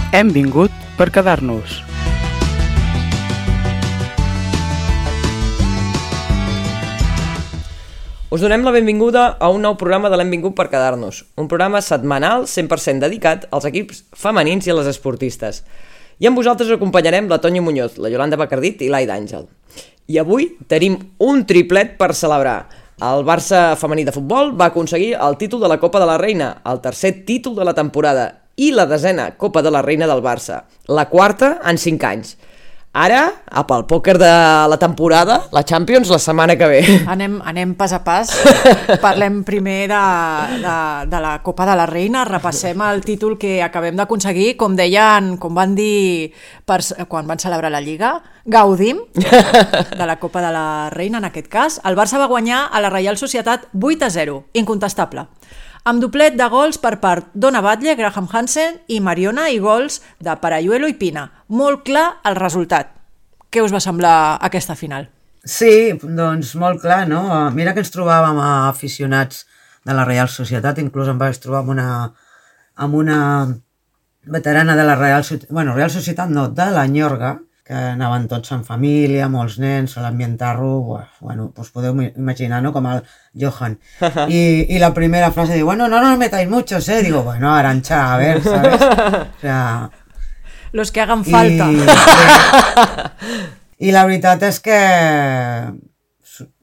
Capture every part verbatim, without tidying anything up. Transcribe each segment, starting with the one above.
Hem vingut per quedar-nos. Us donem la benvinguda a un nou programa de l'Hem vingut per quedar-nos, un programa setmanal cent per cent dedicat als equips femenins i a les esportistes. I amb vosaltres us acompanyarem la Tonya Muñoz, la Yolanda Bacardit i l'Aida Àngel. I avui tenim un triplet per celebrar. El Barça femení de futbol va aconseguir el títol de la Copa de la Reina, el tercer títol de la temporada i la desena Copa de la Reina del Barça, la quarta en cinc anys. Ara, pel pòquer de la temporada, la Champions la setmana que ve. Anem, anem pas a pas. Parlem primer de, de, de la Copa de la Reina, repassem el títol que acabem d'aconseguir, com deien, com van dir per, quan van celebrar la Lliga, gaudim de la Copa de la Reina, en aquest cas. El Barça va guanyar a la Reial Societat vuit a zero, incontestable, amb doblet de gols per part d'Ona Batlle, Graham Hansen i Mariona i gols de Parayuelo i Pina. Molt clar el resultat. Què us va semblar aquesta final? Sí, doncs molt clar, no? Mira que ens trobàvem a aficionats de la Reial Societat, inclús em vaig trobar amb una, amb una veterana de la Reial Societat, bueno, Reial Societat no, de la Ñorga, que anaven tots en família, molts nens, l'ambientar-lo, bueno, pues podeu imaginar, ¿no? Com el Johan. Y, y la primera frase diu, bueno, no nos metáis muchos, ¿eh? Digo, bueno, Arantxa, a ver, ¿sabes? O sea... Los que hagan falta. I, sí. I la veritat és que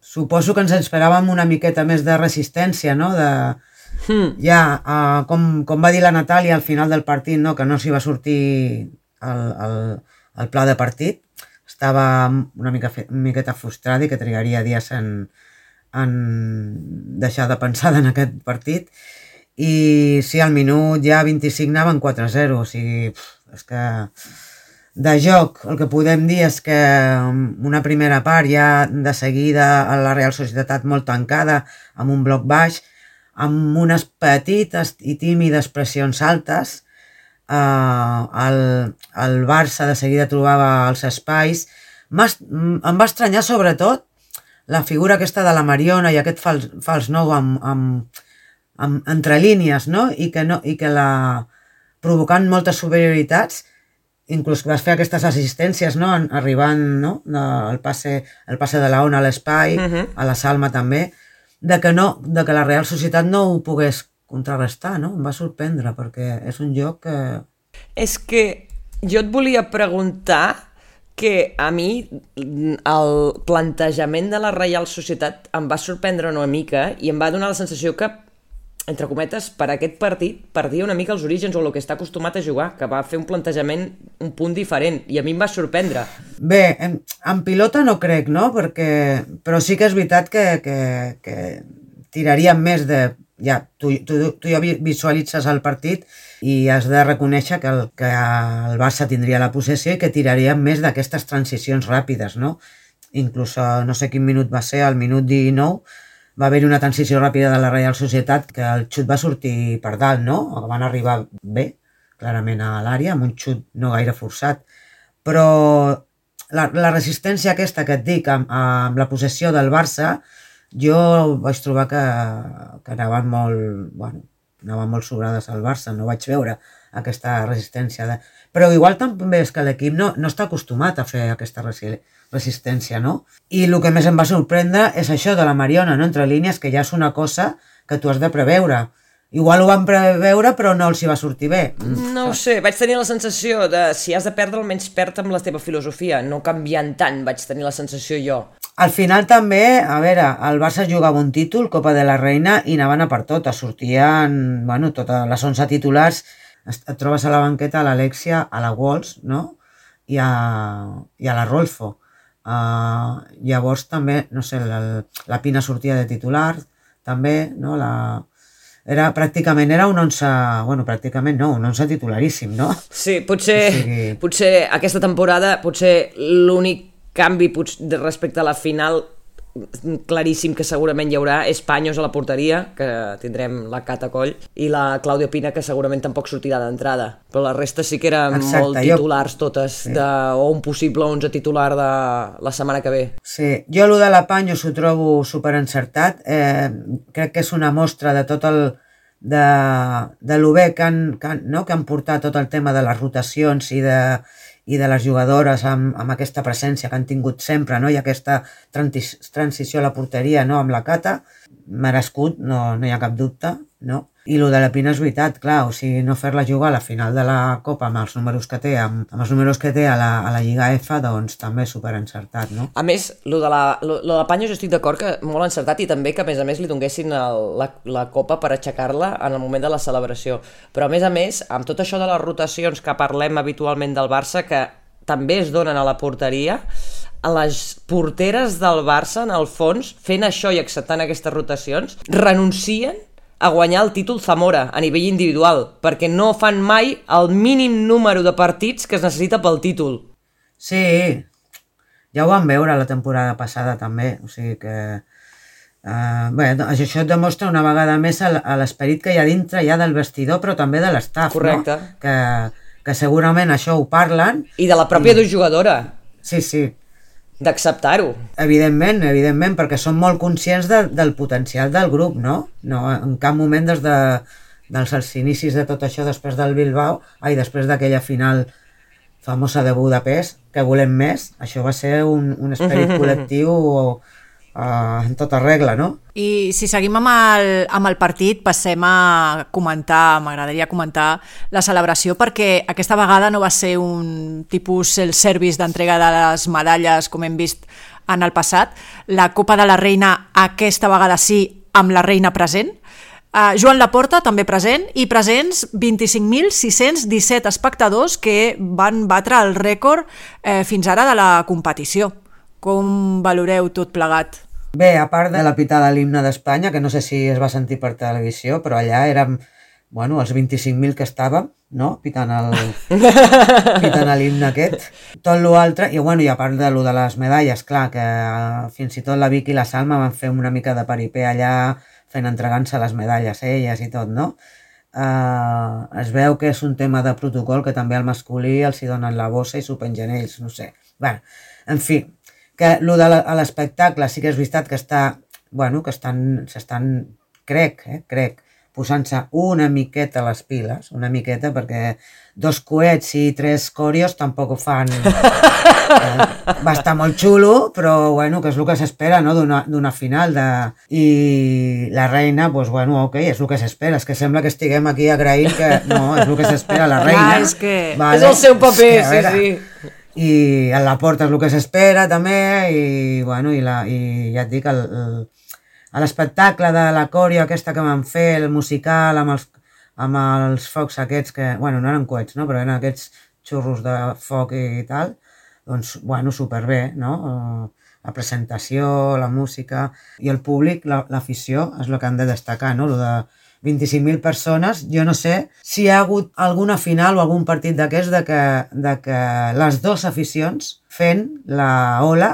suposo que ens esperàvem una miqueta més de resistència, no? De, hmm. Ja, uh, com, com va dir la Natàlia al final del partit, no? Que no s'hi va sortir el, el, el pla de partit. Estava una, mica, una miqueta frustrada i que trigaria dies en, en deixar de pensar en aquest partit. I sí, al minut ja vint-i-cinc anaven quatre a zero, o sigui... Pff, és que de joc el que podem dir és que una primera part ja de seguida a la Real Societat molt tancada, amb un bloc baix, amb unes petites i tímides pressions altes, eh, el, el Barça de seguida trobava els espais. Em va estranyar sobretot la figura aquesta de la Mariona i aquest fals, fals nou amb, amb, amb, entre línies, no? I que, no, i que la... provocant moltes superioritats, inclús vas fer aquestes assistències, no? Arribant, no? El passe, el passe de la Ona a l'espai, uh-huh. a la Salma també, de que, no, de que la Real Societat no ho pogués contrarrestar, no? Em va sorprendre, perquè és un joc que... És que jo et volia preguntar que a mi el plantejament de la Reial Societat em va sorprendre una mica i em va donar la sensació que, entre cometes, per aquest partit perdia una mica els orígens o el que està acostumat a jugar, que va fer un plantejament un punt diferent, i a mi em va sorprendre. Bé, en, en pilota no crec, no? Perquè, però sí que és veritat que, que, que tiraríem més de... Ja, tu, tu, tu ja visualitzes el partit i has de reconèixer que el, que el Barça tindria la possessió i que tiraríem més d'aquestes transicions ràpides, no? Inclús, no sé quin minut va ser, al minut dinou, va haver-hi una transició ràpida de la Reial Societat que el xut va sortir per dalt, no? Van arribar bé, clarament a l'àrea, amb un xut no gaire forçat. Però la, la resistència aquesta que et dic amb, amb la possessió del Barça, jo vaig trobar que, que anaven molt, bueno, anaven molt sobrades al Barça, no vaig veure aquesta resistència. De... Però igual també és que l'equip no, no està acostumat a fer aquesta resistència. resistència, no? I el que més em va sorprendre és això de la Mariona, no? Entre línies, que ja és una cosa que tu has de preveure. Igual ho van preveure, però no els hi va sortir bé. No ho sé, vaig tenir la sensació de si has de perdre, almenys perd amb la teva filosofia, no canviant tant, vaig tenir la sensació jo. Al final també, a veure, el Barça jugava un títol, Copa de la Reina, i anaven a per totes, sortien, bueno, totes les onze titulars, et trobes a la banqueta a l'Alexia, a la Walsh, no? I a, i a la Rolfo. Uh, llavors també, no sé, la, la Pina sortia de titular, també, no? La... Era, pràcticament era un onze, bueno, pràcticament no, un onze titularíssim, no? Sí, potser, o sigui... potser aquesta temporada, potser l'únic canvi potser, respecte a la final claríssim que segurament hi haurà és Paños a la porteria, que tindrem la Cata Coll, i la Clàudia Pina, que segurament tampoc sortirà d'entrada, però la resta sí que eren Exacte, molt titulars jo... totes, sí. de, o un possible onze titular de la setmana que ve. Sí, jo el de la Paños ho trobo superencertat, eh, crec que és una mostra de tot el de, de lo bé que han, que, han, no? que han portat tot el tema de les rotacions i de, i de les jugadores amb, amb aquesta presència que han tingut sempre, no? I aquesta transi transició a la porteria, no? Amb la Cata, merescut, no, no hi ha cap dubte, no? I el de la Pina és veritat, clar, o sigui, no fer-la jugar a la final de la Copa amb els números que té, amb, amb els números que té a la, a la Lliga F, doncs també superencertat, no? A més, lo de la, lo, lo de la Panya jo estic d'acord que molt encertat i també que a més a més li donguessin el, la, la Copa per aixecar-la en el moment de la celebració. Però a més a més, amb tot això de les rotacions que parlem habitualment del Barça, que també es donen a la porteria, a les porteres del Barça, en el fons, fent això i acceptant aquestes rotacions, renuncien a guanyar el títol Zamora a nivell individual, perquè no fan mai el mínim número de partits que es necessita pel títol. Sí, ja ho vam veure la temporada passada també, o sigui que... Uh, bé, això et demostra una vegada més l'esperit que hi ha dintre ja del vestidor, però també de l'estaf, no? Que, que segurament això ho parlen. I de la pròpia i... jugadora. Sí, sí. D'acceptar-ho. Evidentment, evidentment, perquè són molt conscients de, del potencial del grup, no? No, en cap moment des de, dels inicis de tot això, després del Bilbao, ai, després d'aquella final famosa de Budapest, que volem més, això va ser un, un esperit col·lectiu uh, en tota regla, no? I si seguim amb el, amb el partit, passem a comentar, m'agradaria comentar la celebració, perquè aquesta vegada no va ser un tipus el service d'entrega de les medalles com hem vist en el passat. La Copa de la Reina aquesta vegada sí, amb la reina present. Uh, Joan Laporta també present i presents vint-i-cinc mil sis-cents disset espectadors que van batre el rècord eh, fins ara de la competició. Com valoreu tot plegat? Bé, a part de la pitada a l'himne d'Espanya, que no sé si es va sentir per televisió, però allà érem, bueno, els vint-i-cinc mil que estàvem, no?, pitant el pitant l'himne aquest. Tot l'altre, i bueno, i a part de lo de les medalles, clar, que fins i tot la Vicky i la Salma van fer una mica de paripé allà, fent entregant-se les medalles elles i tot, no? Uh, es veu que és un tema de protocol que també al masculí els hi donen la bossa i s'ho pengen ells, no sé. Bueno, en fi, que lo de l'espectacle sí que és veritat que està, bueno, que estan, s'estan, crec, eh, crec, posant-se una miqueta les piles, una miqueta, perquè dos coets i tres corios tampoc ho fan. Eh, va estar molt xulo, però bueno, que és el que s'espera, no?, d'una final. De... I la reina, doncs bueno, ok, és el que s'espera. És que sembla que estiguem aquí agraint que no, és el que s'espera, la reina. Ah, és que... Vale? És el seu paper, és que, sí, sí. I a la porta és el que s'espera també, i bueno, i, la, i ja et dic, el, el, a l'espectacle de la coreo aquesta que van fer, el musical amb els, amb els focs aquests que, bueno, no eren coets, no?, però eren aquests xurros de foc i tal, doncs, bueno, superbé, no?, la presentació, la música, i el públic, l'afició, és el que han de destacar, no?, el de vint-i-cinc mil persones. Jo no sé si hi ha hagut alguna final o algun partit d'aquests de, que, de que les dues aficions fent la ola,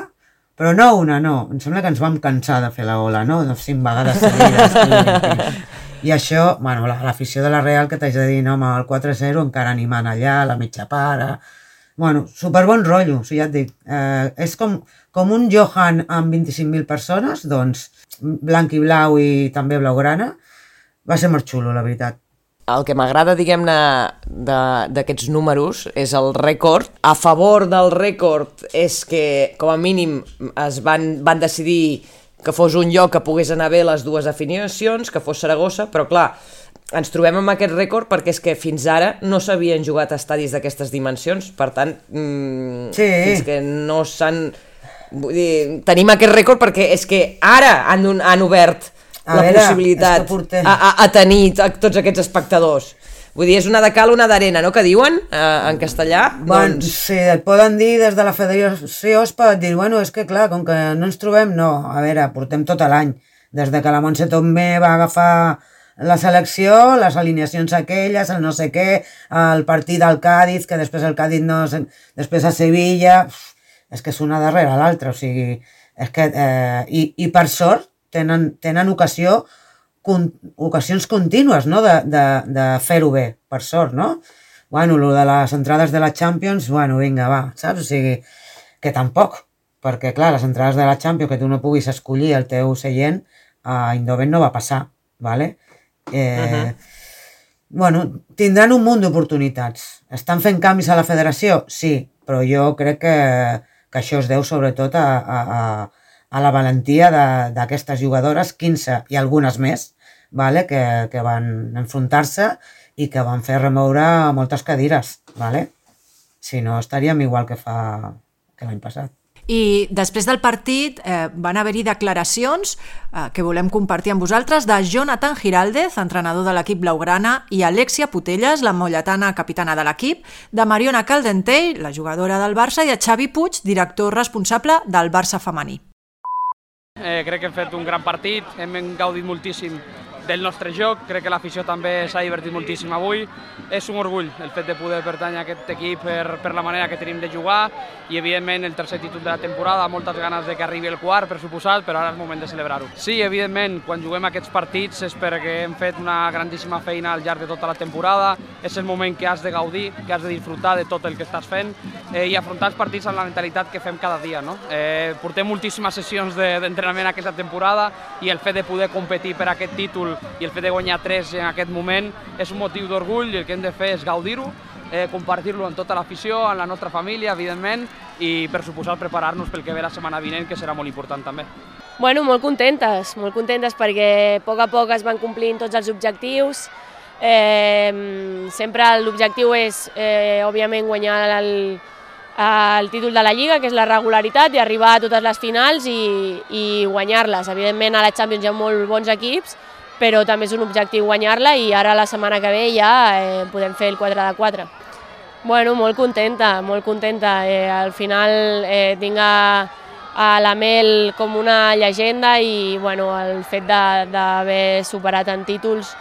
però no una, no. Em sembla que ens vam cansar de fer la ola, no? Cinc vegades seguides. I això, bueno, l'afició de la Real, que t'haig de dir, no, amb el quatre zero encara animant allà, la mitja para... Bueno, superbon rotllo, o sigui, ja et dic. Eh, és com, com un Johan amb vint-i-cinc mil persones, doncs blanc i blau i també blaugrana. Va ser molt xulo, la veritat. El que m'agrada, diguem-ne, d'aquests números és el rècord. A favor del rècord és que, com a mínim, es van, van decidir que fos un lloc que pogués anar bé les dues definicions, que fos Saragossa, però clar, ens trobem amb aquest rècord perquè és que fins ara no s'havien jugat a estadis d'aquestes dimensions, per tant, mmm, sí. fins que no s'han... Vull dir, tenim aquest rècord perquè és que ara han, han obert a la veure, possibilitat portem... a, a, a tenir a tots aquests espectadors. Vull dir, és una de cal, una d'arena, no?, que diuen eh, en castellà. Bon, doncs... Sí, et poden dir des de la federació, es pot dir, bueno, és que clar, com que no ens trobem, no, a veure, portem tot l'any. Des de que la Montse Tomé va agafar la selecció, les alineacions aquelles, el no sé què, el partit del Cádiz, que després el Cádiz no... Després a Sevilla... És que és una darrere l'altra, o sigui... És que... Eh, i, I per sort, tenen, tenen ocasió, con, ocasions contínues, no?, de, de, de fer-ho bé, per sort, no? Bueno, lo de les entrades de la Champions, bueno, vinga, va, saps? O sigui, que tampoc, perquè, clar, les entrades de la Champions, que tu no puguis escollir el teu seient, a Eindhoven no va passar, ¿vale? Eh, Uh-huh. Bueno, tindran un munt d'oportunitats. Estan fent canvis a la federació? Sí, però jo crec que, que això es deu sobretot a, a, a, a la valentia d'aquestes jugadores, quinze i algunes més, vale? que, que van enfrontar-se i que van fer remoure moltes cadires. Vale? Si no, estaríem igual que fa que l'any passat. I després del partit eh, van haver-hi declaracions eh, que volem compartir amb vosaltres de Jonathan Giraldez, entrenador de l'equip blaugrana, i Alexia Putelles, la molletana capitana de l'equip, de Mariona Caldentey, la jugadora del Barça, i de Xavi Puig, director responsable del Barça femení. Eh, crec que hem fet un gran partit, hem gaudit moltíssim del nostre joc, crec que l'afició també s'ha divertit moltíssim avui. És un orgull el fet de poder pertànyer a aquest equip per, per la manera que tenim de jugar i evidentment el tercer títol de la temporada, moltes ganes de que arribi el quart, per suposat, però ara és moment de celebrar-ho. Sí, evidentment, quan juguem aquests partits és perquè hem fet una grandíssima feina al llarg de tota la temporada, és el moment que has de gaudir, que has de disfrutar de tot el que estàs fent eh, i afrontar els partits amb la mentalitat que fem cada dia. No? Eh, portem moltíssimes sessions d'entrenament de, aquesta temporada i el fet de poder competir per aquest títol i el fet de guanyar tres en aquest moment és un motiu d'orgull i el que hem de fer és gaudir-ho, eh, compartir-lo amb tota l'afició, amb la nostra família, evidentment, i per suposar preparar-nos pel que ve la setmana vinent, que serà molt important també. Bueno, molt contentes, molt contentes perquè a poc a poc es van complint tots els objectius. Eh, sempre l'objectiu és, eh, òbviament, guanyar el, el títol de la Lliga, que és la regularitat, i arribar a totes les finals i, i guanyar-les. Evidentment, a la Champions hi ha molt bons equips, però també és un objectiu guanyar-la i ara la setmana que ve ja eh, podem fer el quatre de quatre. Bueno, molt contenta, molt contenta. Eh, al final eh, tinc a, a la Mel com una llegenda i bueno, el fet d'haver superat en títols,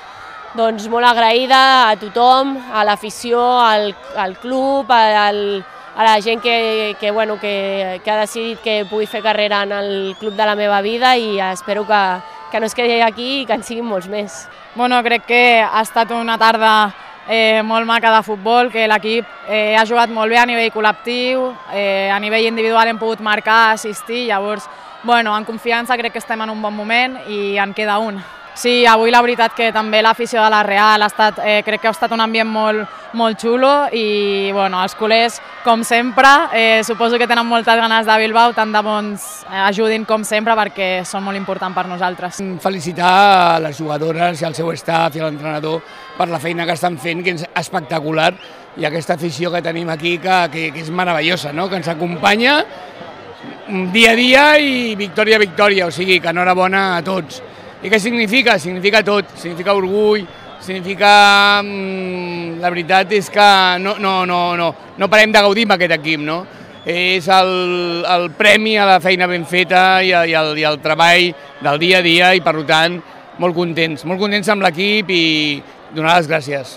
doncs molt agraïda a tothom, a l'afició, al, al club, al, a la gent que, que, bueno, que, que ha decidit que pugui fer carrera en el club de la meva vida i espero que, que no es quedi aquí i que en siguin molts més. Bueno, crec que ha estat una tarda eh, molt maca de futbol, que l'equip eh, ha jugat molt bé a nivell col·lectiu, eh, a nivell individual hem pogut marcar, assistir, llavors, bueno, en confiança crec que estem en un bon moment i en queda un. Sí, avui la veritat que també l'afició de la Real ha estat, eh, crec que ha estat un ambient molt, molt xulo i bueno, els culers, com sempre, eh, suposo que tenen moltes ganes de Bilbao, tant de bons eh, ajudin com sempre perquè són molt importants per nosaltres. Felicitar a les jugadores i al seu staff i a l'entrenador per la feina que estan fent, que és espectacular, i aquesta afició que tenim aquí que, que, que és meravellosa, no? Que ens acompanya dia a dia i victòria a victòria, o sigui que enhorabona a tots. I què significa? Significa tot, significa orgull, significa... Mmm, la veritat és que no, no, no, no, no parem de gaudir amb aquest equip, no? És el, el premi a la feina ben feta i, i, el, i el treball del dia a dia i, per tant, molt contents, molt contents amb l'equip i donar les gràcies.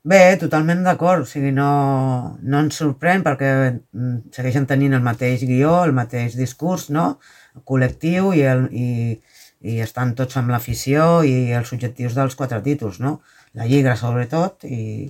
Bé, totalment d'acord, o sigui, no, no ens sorprèn perquè segueixen tenint el mateix guió, el mateix discurs, no? Col·lectiu i, el, i, i estan tots amb l'afició i els objectius dels quatre títols, no? La Lliga, sobretot, i,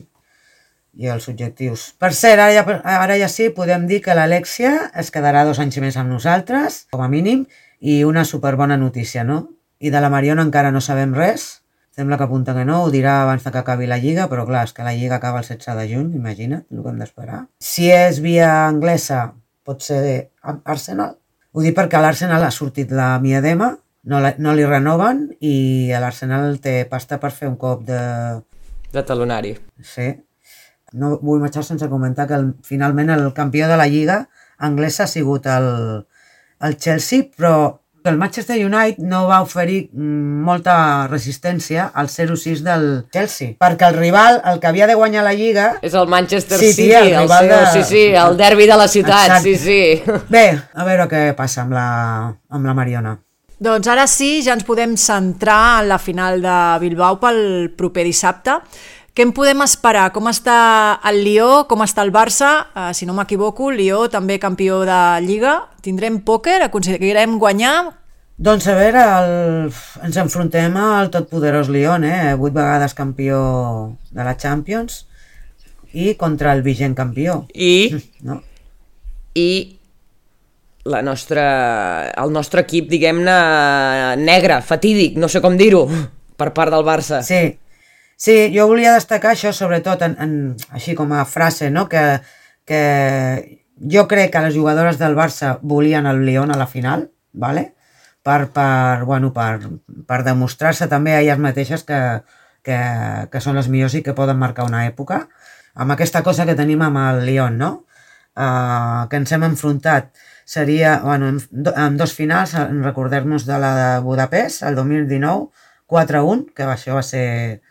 i els objectius. Per cert, ara ja, ara ja sí, podem dir que l'Alexia es quedarà dos anys més amb nosaltres, com a mínim, i una superbona notícia, no? I de la Mariona encara no sabem res, sembla que apunta que no, ho dirà abans que acabi la Lliga, però clar, és que la Lliga acaba el setze de juny, imagina't el que hem d'esperar. Si és via anglesa, pot ser Arsenal. Ho dic perquè a l'Arsenal ha sortit la Miedema, no, la, no li renoven i l'Arsenal té pasta per fer un cop de... De talonari. Sí. No vull marxar sense comentar que el, finalment el campió de la Lliga anglesa ha sigut el, el Chelsea, però el Manchester United no va oferir molta resistència al zero sis del Chelsea, perquè el rival, el que havia de guanyar la Lliga... És el Manchester sí, City, tia, el, el, seu, de... sí, sí, el derbi de la ciutat, exacte. sí, sí. Bé, a veure què passa amb la, amb la Mariona. Doncs ara sí, ja ens podem centrar en la final de Bilbao pel proper dissabte. Què en podem esperar? Com està el Lió? Com està el Barça? Uh, si no m'equivoco, el Lió també campió de Lliga. Tindrem pòquer? Aconseguirem guanyar? Doncs a veure, el... ens enfrontem al totpoderós Lyon, eh? Vuit vegades campió de la Champions i contra el vigent campió. I... No? I... La nostra... el nostre equip, diguem-ne, negre, fatídic, no sé com dir-ho. per part del Barça. Sí, sí, jo volia destacar això, sobretot, en, en, així com a frase, no? que, que jo crec que les jugadores del Barça volien el Lyon a la final, ¿vale? per, per, bueno, per, per demostrar-se també a elles mateixes que, que, que són les millors i que poden marcar una època, amb aquesta cosa que tenim amb el Lyon, no? Uh, que ens hem enfrontat seria, bueno, en, en dos finals, recordem-nos de la de Budapest, el dos mil dinou, quatre a un, que això va ser,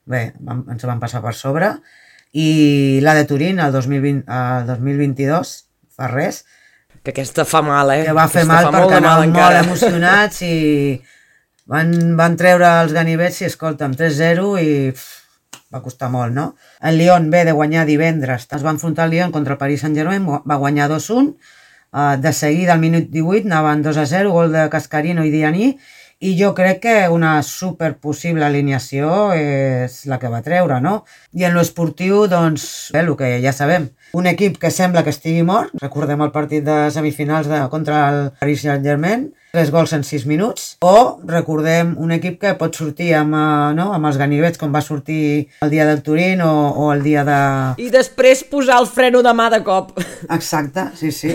bé, vam, ens van passar per sobre, i la de Turín, el dos mil vint, el dos mil vint-i-dos, fa res, que aquesta fa mal, eh? Que va fer aquesta mal perquè anàvem molt emocionats i van, van treure els ganivets i, escolta'm, tres zero i pff, va costar molt, no? El Lyon ve de guanyar divendres, es va enfrontar el Lyon contra el Paris Saint-Germain, va guanyar dos a un, uh, de seguida al minut divuit anaven dos a zero, gol de Cascarino i Dianí, i jo crec que una super possible alineació és la que va treure, no? I en l'esportiu, doncs, bé, el que ja sabem, un equip que sembla que estigui mort, recordem el partit de semifinals de, contra el Paris Saint-Germain, tres gols en sis minuts, o recordem un equip que pot sortir amb, no, amb els ganivets, com va sortir el dia del Turín o, o el dia de... I després posar el freno de mà de cop. Exacte, sí, sí.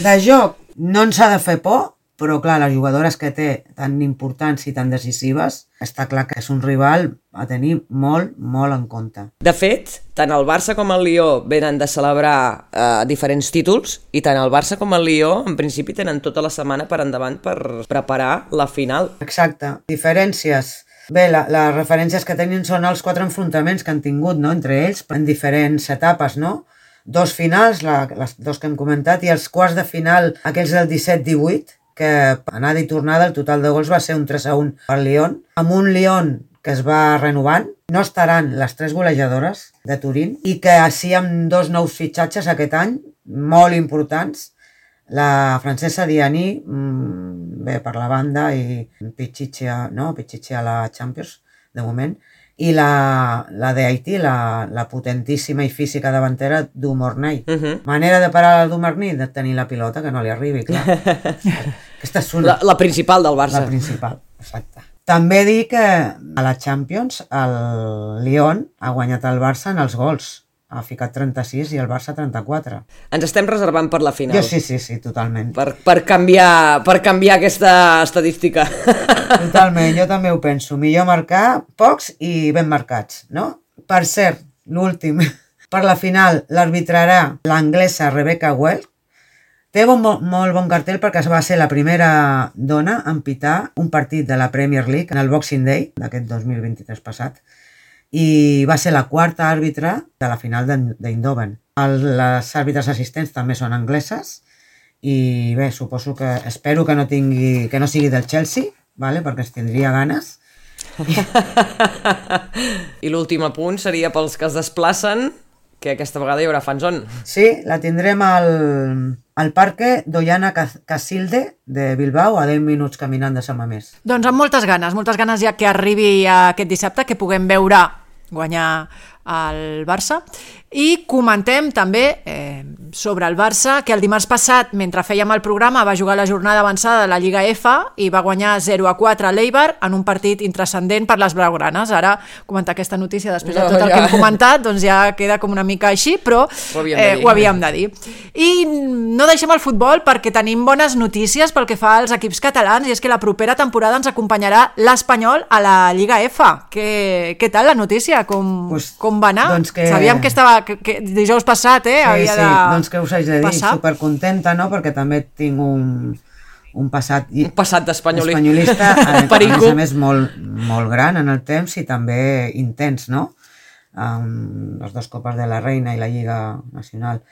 De joc no ens ha de fer por, però clar, les jugadores que té tan importants i tan decisives, està clar que és un rival a tenir molt, molt en compte. De fet, tant el Barça com el Lió venen de celebrar eh, diferents títols i tant el Barça com el Lió en principi tenen tota la setmana per endavant per preparar la final. Exacte. Diferències. Bé, la, les referències que tenen són els quatre enfrontaments que han tingut, no?, entre ells en diferents etapes, no? Dos finals, la, les dos que hem comentat, i els quarts de final, aquells del disset divuit, que anada i tornada el total de gols va ser un tres a un per Lyon, amb un Lyon que es va renovant. No estaran les tres golejadores de Turín i que així amb dos nous fitxatges aquest any, molt importants, la francesa Dianí, bé, per la banda, i Pichichi, no? Pichichi a la Champions, de moment, i la, la de Haití, la, la potentíssima i física davantera Dumornay. Uh -huh. Manera de parar el Dumornay? De tenir la pilota, que no li arribi, clar. Aquesta és una... La, la principal del Barça. La principal, exacte. També dir que a la Champions el Lyon ha guanyat el Barça en els gols. Ha ficat trenta-sis i el Barça trenta-quatre. Ens estem reservant per la final. Jo sí, sí, sí, totalment. Per, per, canviar, per canviar aquesta estadística. Totalment, jo també ho penso. Millor marcar pocs i ben marcats, no? Per cert, l'últim, per la final l'arbitrarà l'anglesa Rebecca Well. Té bon, molt bon cartell perquè va ser la primera dona en pitar un partit de la Premier League en el Boxing Day d'aquest dos mil vint-i-tres passat. I va ser la quarta àrbitre de la final d'Eindhoven. Les àrbitres assistents també són angleses i bé, suposo que, espero que no tingui, que no sigui del Chelsea, vale? Perquè es tindria ganes. I l'últim apunt seria pels que es desplacen, que aquesta vegada hi haurà fanzone. Sí, la tindrem al, al Parque Doñana Casilde de Bilbao, a deu minuts caminant de Sant Mamés. Doncs amb moltes ganes, moltes ganes ja que arribi aquest dissabte, que puguem veure guanyar el Barça. I comentem també eh, sobre el Barça, que el dimarts passat, mentre fèiem el programa, va jugar la jornada avançada de la Lliga F i va guanyar zero a quatre a l'Eibar en un partit intranscendent per les blaugranes. Ara, comentar aquesta notícia després de tot el que hem comentat, doncs ja queda com una mica així, però ho havíem, eh, ho havíem de dir. I no deixem el futbol perquè tenim bones notícies pel que fa als equips catalans, i és que la propera temporada ens acompanyarà l'Espanyol a la Lliga F. Què, què tal la notícia? Com, pues, com va anar? Doncs que... Sabíem que estava que, que dijous passat, eh? Sí, havia sí, de doncs què us haig de dir? Passar. Supercontenta, no? Perquè també tinc un, un passat... Un passat d'espanyolista. Espanyolista, a, a més a més molt, molt gran en el temps i també intens, no? Um, les dues Copes de la Reina i la Lliga Nacional.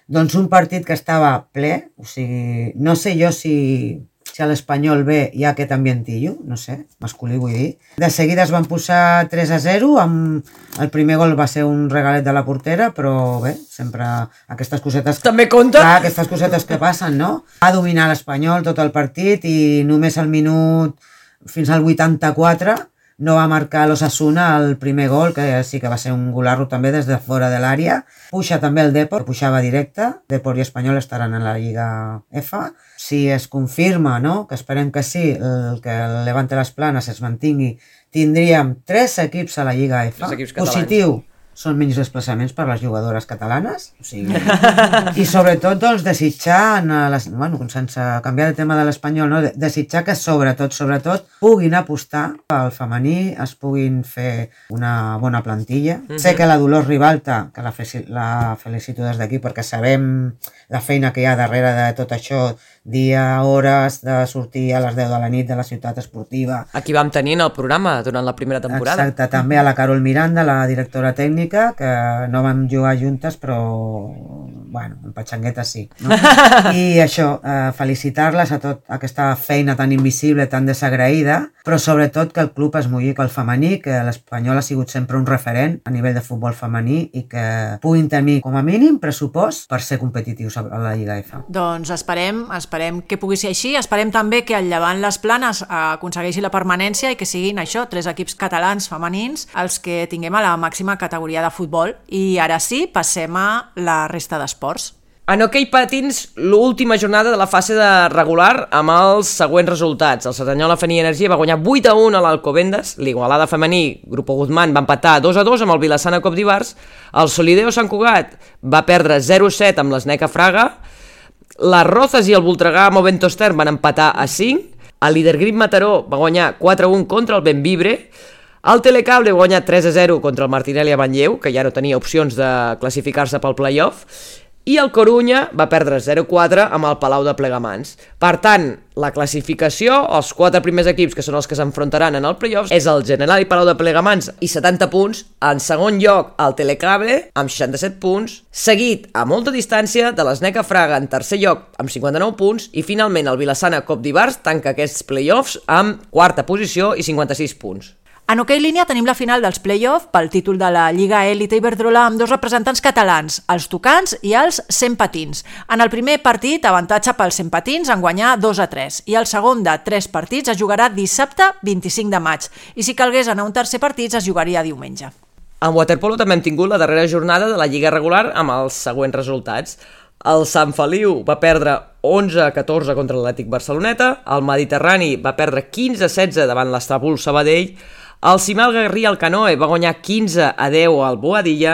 Doncs un partit que estava ple, o sigui, no sé jo si... si a l'Espanyol ve hi ha aquest ambientillo, no sé, masculí vull dir. De seguida es van posar tres a zero, amb el primer gol va ser un regalet de la portera, però bé, sempre aquestes cosetes... També compta? Clar, aquestes cosetes que passen, no? Va dominar l'Espanyol tot el partit i només al minut, fins al vuitanta-quatre, no va marcar l'Osasuna el primer gol, que sí que va ser un golarro també des de fora de l'àrea. Puja també el Depor, pujava directe. Depor i Espanyol estaran en la Lliga F. Si es confirma, no?, que esperem que sí, el que el Levante Las Planes es mantingui, tindríem tres equips a la Lliga F. Positiu. Són menys desplaçaments per a les jugadores catalanes, o sigui, i sobretot doncs, desitjar, les, bueno, sense canviar de tema de l'Espanyol, no? desitjar que sobretot, sobretot puguin apostar pel femení, es puguin fer una bona plantilla. Mm-hmm. Sé que la Dolors Ribalta, que la, la felicito des d'aquí perquè sabem la feina que hi ha darrere de tot això, dia, hores, de sortir a les deu de la nit de la ciutat esportiva. Aquí vam tenir el programa durant la primera temporada. Exacte, també a la Carol Miranda, la directora tècnica, que no vam jugar juntes, però, bueno, en patxangueta sí. No? I això, eh, felicitar-les a tot aquesta feina tan invisible, tan desagraïda, però sobretot que el club es mulli que el femení, que l'Espanyol ha sigut sempre un referent a nivell de futbol femení i que puguin tenir com a mínim pressupost per ser competitius a la Lliga F. Doncs esperem, esperem que pugui ser així, esperem també que el Llevant Les Planes aconsegueixi la permanència i que siguin això, tres equips catalans femenins els que tinguem a la màxima categoria de futbol. I ara sí, passem a la resta d'esports. En hoquei patins, l'última jornada de la fase de regular amb els següents resultats. El Cerdanyola Feni Energia va guanyar vuit a un a l'Alcobendas, l'Igualada femení, Grupo Guzmán, va empatar dos a dos amb el Vilassana Cop d'Ivars, el Solideo Sant Cugat va perdre zero a set amb l'Sneca Fraga, les Rozas i el Voltregà Movento Stern van empatar a cinc, el Lidergrip Mataró va guanyar quatre a un contra el Benvibre, el Telecable va guanyar tres a zero contra el Martinelli a Manlleu, que ja no tenia opcions de classificar-se pel play-off, i el Corunya va perdre zero a quatre amb el Palau de Plegamans. Per tant, la classificació, els quatre primers equips que són els que s'enfrontaran en el play-off, és el General i Palau de Plegamans i setanta punts, en segon lloc el Telecable amb seixanta-set punts, seguit a molta distància de l'Sneca Fraga en tercer lloc amb cinquanta-nou punts i finalment el Vilassana Cop d'Ivars tanca aquests play-offs amb quarta posició i cinquanta-sis punts. En hoquei línia tenim la final dels play-off pel títol de la Lliga Elite Iberdrola amb dos representants catalans, els Tucans i els Cent Patins. En el primer partit, avantatge pels Cent Patins en guanyar dos a tres i el segon de tres partits es jugarà dissabte vint-i-cinc de maig i si calgués anar a un tercer partit es jugaria diumenge. En waterpolo també hem tingut la darrera jornada de la Lliga regular amb els següents resultats. El Sant Feliu va perdre onze a catorze contra l'Atlètic Barceloneta, el Mediterrani va perdre quinze a setze davant l'Estrabul Sabadell, el Cimal Garrí al Canoe va guanyar quinze a deu al Boadilla,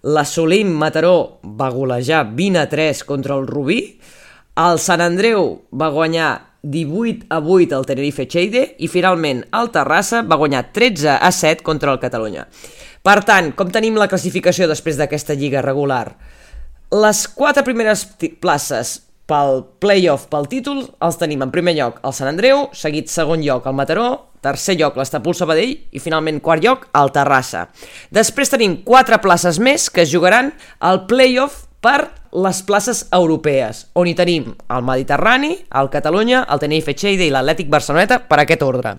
l'Assolim Mataró va golejar vint a tres contra el Rubí, el Sant Andreu va guanyar divuit a vuit al Tenerife Cheide i finalment el Terrassa va guanyar tretze a set contra el Catalunya. Per tant, com tenim la classificació després d'aquesta lliga regular? Les quatre primeres places pel play-off, pel títol, els tenim en primer lloc el Sant Andreu, seguit segon lloc el Mataró, tercer lloc l'Estapul Sabadell i finalment quart lloc el Terrassa. Després tenim quatre places més que es jugaran al play-off per les places europees, on hi tenim el Mediterrani, el Catalunya, el Tenerife Cheide i l'Atlètic Barceloneta per aquest ordre.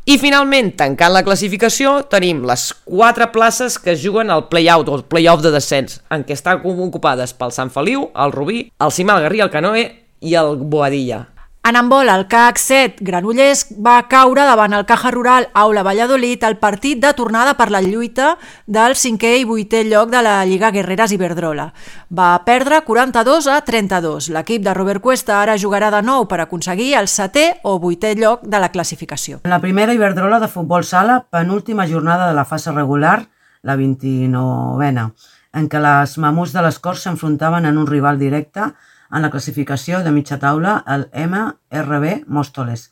I finalment, tancant la classificació, tenim les quatre places que es juguen al play-out o el play-off de descens, en què estan ocupades pel Sant Feliu, el Rubí, el Cimal Garrí, el Canoe i el Boadilla. En handbol, el C A C set Granollers va caure davant el Caja Rural Aula Valladolid al partit de tornada per la lluita del cinquè i vuitè lloc de la Lliga Guerreres Iberdrola. Va perdre quaranta-dos a trenta-dos. L'equip de Robert Cuesta ara jugarà de nou per aconseguir el setè o vuitè lloc de la classificació. En la primera Iberdrola de futbol sala, penúltima jornada de la fase regular, la vint-i-novena, en què les mamuts de les Corts s'enfrontaven en un rival directe en la classificació de mitja taula, el M R B Móstoles.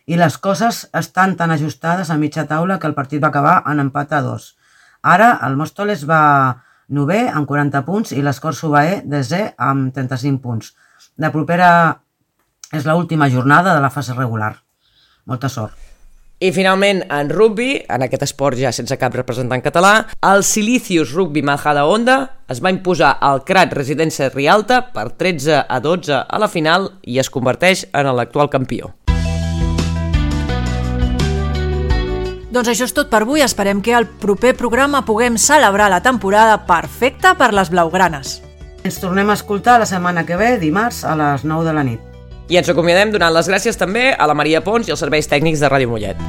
I les coses estan tan ajustades a mitja taula que el partit va acabar en empat a dos. Ara el Móstoles va novè amb quaranta punts i l'Escorç Subaé desè amb trenta-cinc punts. La propera és l'última jornada de la fase regular. Molta sort. I finalment, en rugby, en aquest esport ja sense cap representant català, el Silicius Rugby Majadahonda es va imposar al Crat Residència Rialta per tretze a dotze a la final i es converteix en l'actual campió. Doncs això és tot per avui. Esperem que al proper programa puguem celebrar la temporada perfecta per les blaugranes. Ens tornem a escoltar la setmana que ve, dimarts, a les nou de la nit. I ens acomiadem donant les gràcies també a la Maria Pons i als serveis tècnics de Ràdio Mollet.